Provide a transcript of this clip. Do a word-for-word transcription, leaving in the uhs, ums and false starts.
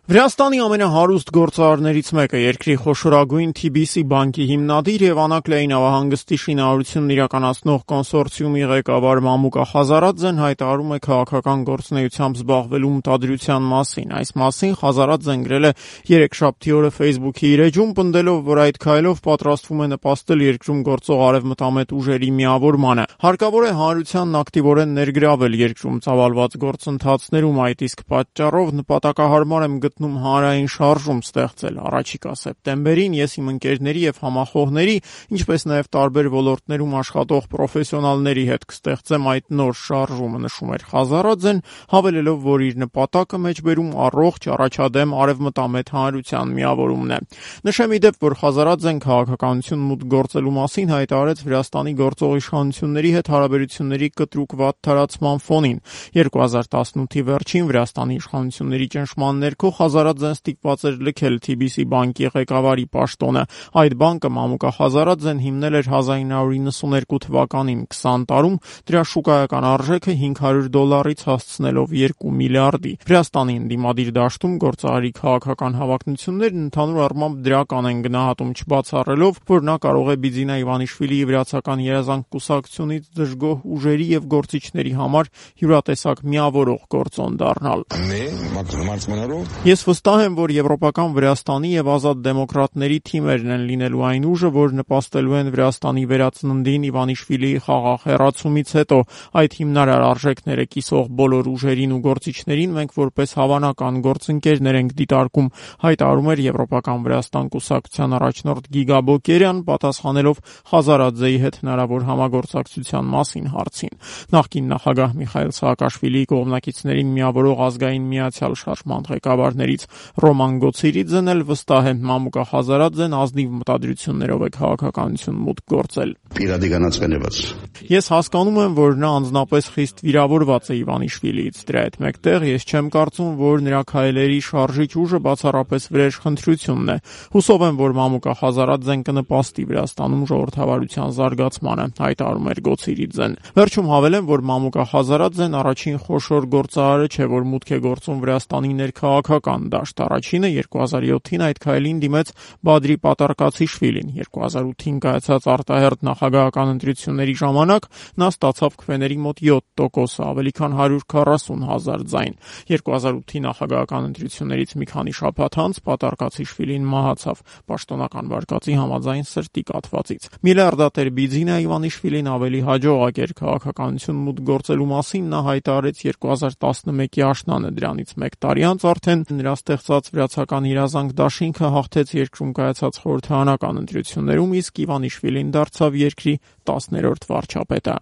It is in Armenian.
Վրաստանի ամենահարուստ գործարարներից մեկը, երկրի խոշորագույն Թի Բի Սի բանկի հիմնադիր և Անաքլեի նավահանգստի շինարարությունն իրականացնող կոնսորցիումի ղեկավար Մամուկա Խազարաձեն հայտարարում է քաղաքական գործունեությամբ զբաղվելու մտադրության մասին։ Այս մասին Խազարաձեն գրել է երեքշաբթի օրը Facebook-ի իր էջում, պնդելով, որ այդ քայլով պատրաստվում է նպաստել երկրում գործող արևմտամետ ուժերի միավորմանը։ Հարկավոր է հանրությանն ակտիվորեն ներգրավել երկրում ծավալված գործընթացներում, այդ իսկ պատճառով նպատակահարմար եմ գտնում հանրային շարժում ստեղծել։ Առաջիկա սեպտեմբերին ես իմ ընկերների և համախոհների, ինչպես նաև տարբեր ոլորտներում աշխատող պրոֆեսիոնալների հետ կստեղծեմ այդ նոր շարժումը, նշում էր Խազարաձեն, հավելելով, որ իր նպատակը մեջբերում առողջ, առաջադեմ արևմտամետ հանրության միավորումն է։ Նշեմ ի դեպ, որ Խազարաձեն քաղաքականություն մուտք գործելու մասին հայտարարեց Վրաստանի գործող իշխանությունների հետ հարաբերությունների կտրուկ վատթարացման ֆոնին։ երկու հազար տասնութի վերջին Վրաստանի իշխանությունների ճնշման ներքո Խազարաձեն ստիպված էր լքել Թի Բի Սի բանկի ղեկավարի պաշտոնը։ Այդ բանկը Մամուկա Խազարաձեն հիմնել էր հազար ինը հարյուր նվաթ թվականին, քսան տարում դրա շուկայական արժեքը հինգ հարյուր դոլարից հասցնելով երկու միլիարդի։ Վրաստանի ընդդիմադիր դաշտում գործարարի քաղաքական հավակնություններն ընդհանուր առմամբ դրական են գնահատում, չբացառելով, որ նա կարող է Բիձինա Իվանիշվիլիի վրացական երազանք կուսակցությունից դժգոհ ուժերի և գործիչների համար յուրատեսակ միավորող գործոն դառնալ։ Ես վստահ եմ, որ եվրոպական Վրաստանի և ազատ դեմոկրատների թիմերն են լինելու այն ուժը, որ նպաստելու են Վրաստանի վերածննդին Իվանիշվիլիի խաղաղ հեռացումից հետո։ Այդ հիմնարար արժեքները կիսող բոլոր ուժերին ու գործիչներին մենք որպես հավանական գործընկերներ ենք դիտարկում, հայտարարում էր Եվրոպական Վրաստան կուսակցության առաջնորդ Գիգա Բոկերյան, պատասխանելով Խազարաձեի հետ հնարավոր համագործակցության մասին հարցին։ Նախկին նախագահ Միխայիլ Սաակաշվիլիի կողմնակիցներին միավորող ազգային միացյալ շարժման ղեկավարներից Ռոման Գոցիրիձեն էլ վստահ է, Մամուկա Խազարաձեն ազնիվ մտադրություններով է քաղաքականություն մուտք գործել։ Ես հասկանում եմ, որ նա անձնապես խիստ վիրավորված է Իվանիշվիլիից։ Դրա հետ մեկտեղ ես չեմ կարծում, որ նրա քայլերի շարժիչ ուժը բացառապես վրեժխնդրությունն է։ Հուսով եմ, որ Մամուկա Խազարաձեն կնպաստի Վրաստանում ժողովրդավարության զարգացմանը, հայտարարում էր Գոցիրիձեն։ Վերջում հավելեմ, որ Մամուկա Խազարաձեն առաջին խոշոր գործարարը չէ, որ մուտք է գործում Վրաստանի ներքաղաքական դաշտ։ Առաջինը երկու հազար յոթին այդ քայլին դիմեց Բադրի Պատարկացիշվիլին։ երկու հազար ութին կայացած արտահերթ նախագահական ընտրությունների ժամանակ նա ստացավ քվեների մոտ յոթ տոկոս, ավելի քան հարյուր քառասուն հազար ձայն։ երկու հազար ութի նախագահական ընտրություններից մի քանի շաբաթ անց Պատարկացիշվիլին մահացավ պաշտոնական վարկածի համաձայն սրտի կաթվածից։ Միլիարդատեր Բիձինա Իվանիշվիլին ավելի հաջողակ էր քաղաքականություն մուտք գործելու մասին, նա հայտարարեց երկու հազար տասնմեկի աշնանը, դրանից մեկ տարի անց արդեն նրա ստեղծած վրացական երազանք դաշինքը հաղթեց երկրում կայացած խորհրդարանական ընտրություններում, իսկ Իվանիշվիլին դարձավ երկրի տասներորդ վարչապետը։